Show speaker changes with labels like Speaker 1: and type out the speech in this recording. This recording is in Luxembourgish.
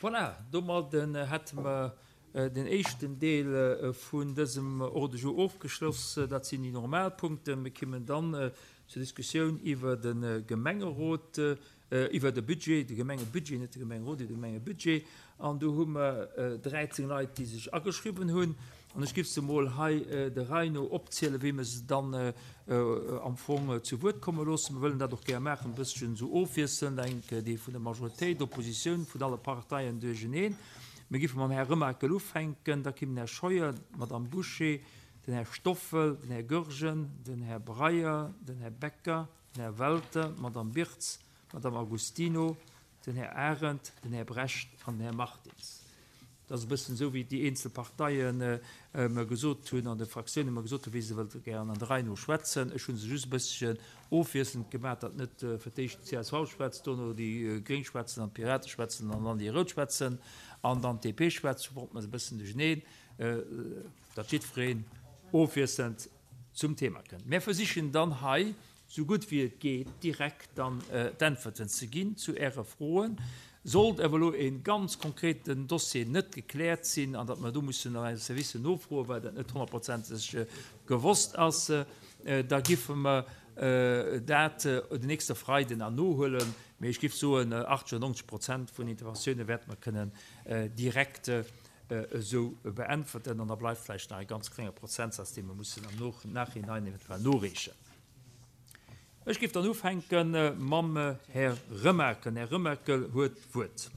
Speaker 1: Voilà, domadden hätte mer den éischten Deel vun dësem Ordre du jour ofgeschloss. Dat sinn déi normal Punkten. Mir kimmen dann zur Diskussioun iwwer de Gemengerot, iwwer de Budget, de Gemengebudget, net de Gemengerot, iwwer de Gemengebudget. An do hu mer 13 Leit, déi sech ageschriwwen hunn. An ech giff se emol hei der Rei no opzielen, wéi mer se dann am Fong zu Wuert komme loossen. Mer wëllen dat och gär maachen, e bësschen esou ofwiesselnd, eng déi vun der Majoritéit, Oppositioun, vun alle Parteien duercheneen. Mir giffe mam Här Remakel ufänken, da kimm den Här Scheuer, d'Madame Bouché, den Här Stoffel, den Här Goergen, den Här Breyer, den Här Becker, den Här Welter, d'Madame Birtz, d'Madame Agostino, den Här Arendt, den Här Brecht an den Här Martins. Dat ass e bëssen esou, wéi déi eenzel Parteie mer gesot hunn an de Fraktiounen mer gesot hunn, wéi se wëllte gären an der Rei no schwätzen. Ech hu se just e bësschen ofwiesselnd gemaach, datt net fir d'éischt d'CSV schwätzt, dono déi Gréng schwätzen an d'Pirate schwätzen an dann déi Rout schwätzen an dann d'DP schwätzt. Ech wollt mer se e bëssen duercheneen, datt jiddwereen ofwiesselnd zum Thema kënnt. Mär versichen dann hei sou gutt wéi et geet direkt dann d'Äntwerten ze ginn zu Äre Froen. Sollt awer elo e ganz konkreten Dossier net gekläert sinn an datt mer do mussen an eise Servicen nofroen, well dat net honnertprozenteg gewosst ass, da giffe mer dat den nächste Freiden an nohuelen. Mee ech giff soen, 80 oder 90 Prozent vun Interventioune wäerte mer kënnen direkt esou beäntwerten an da bleift vläicht nach e ganz klenge Prozentsaz, dee mer mussen am Nachhinein eventuell noreechen. Ech géif dann ufänke mam Här Remakel. Den Här Remakel huet d'Wuert.